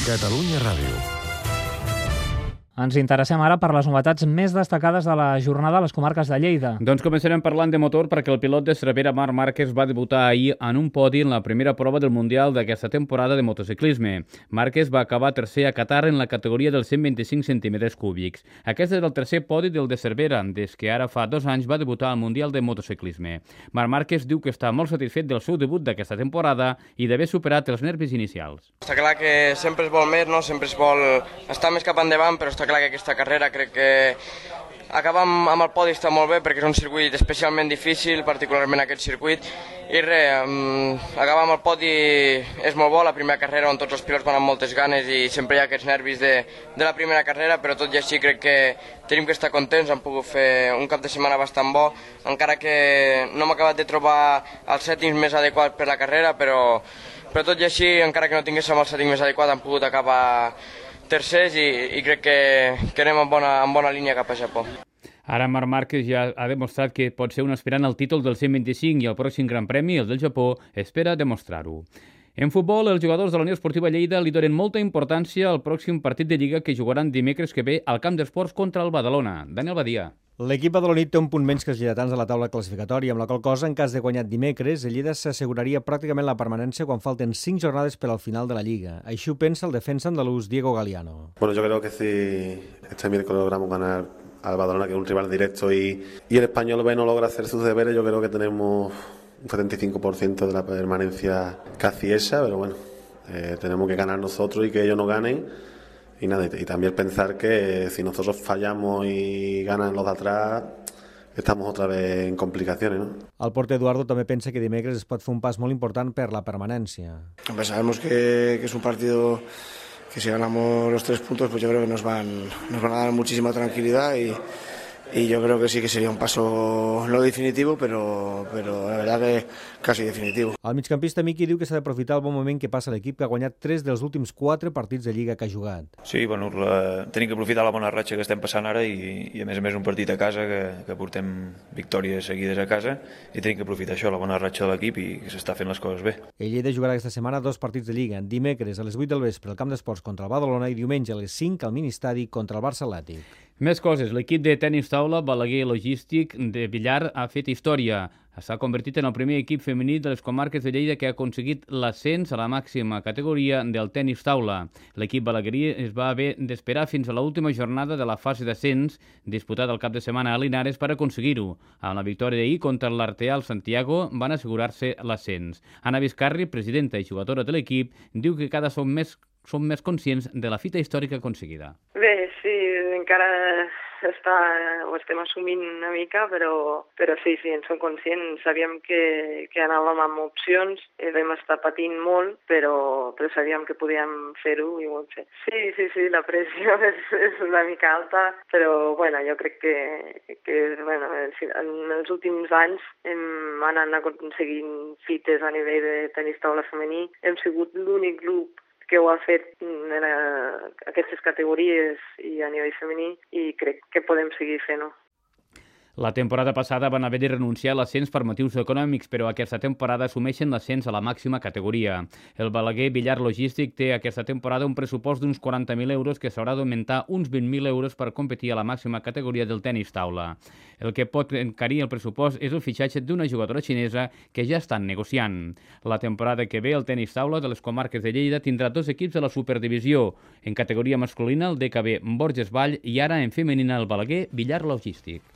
Catalunya Ràdio. Ens interessem ara per les novetats més destacades de la jornada a les comarques de Lleida. Doncs començarem parlant de motor perquè el pilot de Cervera, Marc Márquez, va debutar ahir en un podi en la primera prova del Mundial d'aquesta temporada de motociclisme. Márquez va acabar tercer a Qatar en la categoria dels 125 centímetres cúbics. Aquest és el tercer podi del de Cervera, des que ara fa 2 anys va debutar al Mundial de motociclisme. Marc Márquez diu que està molt satisfet del seu debut d'aquesta temporada i d'haver superat els nervis inicials. Està clar que sempre es vol més, no? Sempre es vol estar més cap endavant, però està clar que aquesta carrera crec que acabar amb el podi està molt bé perquè és un circuit especialment difícil, particularment aquest circuit, i acabar amb el podi és molt bo, la primera carrera on tots els pilots van amb moltes ganes i sempre hi ha aquests nervis de la primera carrera, però tot i així crec que tenim que estar contents, hem pogut fer un cap de setmana bastant bo, encara que no hem acabat de trobar els settings més adequats per la carrera, però tot i així, encara que no tinguéssim el setting més adequat, hem pogut acabar tercers i crec que anem en bona línia cap a Japó. Ara Marc Márquez ja ha demostrat que pot ser un aspirant al títol del 125 i el pròxim Gran Premi, el del Japó, espera demostrar-ho. En futbol, els jugadors de la Unió Esportiva Lleida li donen molta importància al pròxim partit de Lliga que jugaran dimecres que ve al Camp d'Esports contra el Badalona. Daniel Badia. L'equip badaloní té un punt menys que els lleidatans a la taula classificatòria, amb la qual cosa, en cas de guanyat dimecres, el Lleida s'asseguraria pràcticament la permanència quan falten 5 jornades per al final de la Lliga. Així ho pensa el defensa andalús Diego Galiano. Bueno, yo creo que si este miércoles logramos ganar al Badalona, que es un rival directo, y el Español B no logra hacer sus deberes, yo creo que tenemos un 75% de la permanencia casi esa, pero bueno, tenemos que ganar nosotros y que ellos no ganen. Y nada, y también pensar que si nosotros fallamos y ganan los de atrás, estamos otra vez en complicaciones, ¿no? El porter Eduardo també pensa que dimecres es pot fer un pas molt important per la permanència. Hombre, sabemos que es un partido que si ganamos los 3 puntos, pues yo creo que nos van a dar muchísima tranquilidad y yo creo que sí que sería un paso no definitivo, pero la verdad que casi definitivo. El migcampista Miqui diu que s'ha d'aprofitar el bon moment que passa l'equip, que ha guanyat 3 dels últims 4 partits de Lliga que ha jugat. Sí, bueno, tenim que aprofitar la bona ratxa que estem passant ara i a més un partit a casa que portem victòries seguides a casa i tenim que aprofitar això, la bona ratxa de l'equip i que s'està fent les coses bé. El Lleida jugarà aquesta setmana 2 partits de Lliga, dimecres a les 8 del vespre al Camp d'Esports contra el Badalona i diumenge a les 5 al Ministadi contra el Barça Atlètic. Més coses. L'equip de tenis taula Balaguer Logístic de Villar ha fet història. S'ha convertit en el primer equip femení de les comarques de Lleida que ha aconseguit l'ascens a la màxima categoria del tenis taula. L'equip balaguerí es va haver d'esperar fins a l'última jornada de la fase d'ascens disputada el cap de setmana a Linares per aconseguir-ho. Amb la victòria d'ahir contra l'Arteal Santiago van assegurar-se l'ascens. Anna Vizcarri, presidenta i jugadora de l'equip, diu que cada som més conscients de la fita històrica aconseguida. Bé, sí, encara ho estem assumint una mica, però sí, en som conscients. Sabíem que anàvem amb opcions, vam estar patint molt, però sabíem que podíem fer-ho i ho hem fet. Sí, la pressió és una mica alta, però bueno, jo crec que en els últims anys hem anat aconseguint fites a nivell de tenis taula femení. Hem sigut l'únic grup que ho ha fet en aquestes categories i a nivell femení i crec que podem seguir fent-ho. La temporada passada van haver de renunciar a l'ascens per motius econòmics, però aquesta temporada assumeixen l'ascens a la màxima categoria. El Balaguer Villar Logístic té aquesta temporada un pressupost d'uns 40.000 euros que s'haurà d'augmentar uns 20.000 euros per competir a la màxima categoria del tenis taula. El que pot encarir el pressupost és el fitxatge d'una jugadora xinesa que ja estan negociant. La temporada que ve el tenis taula de les comarques de Lleida tindrà 2 equips a la superdivisió. En categoria masculina el DKB Borges Vall i ara en femenina el Balaguer Villar Logístic.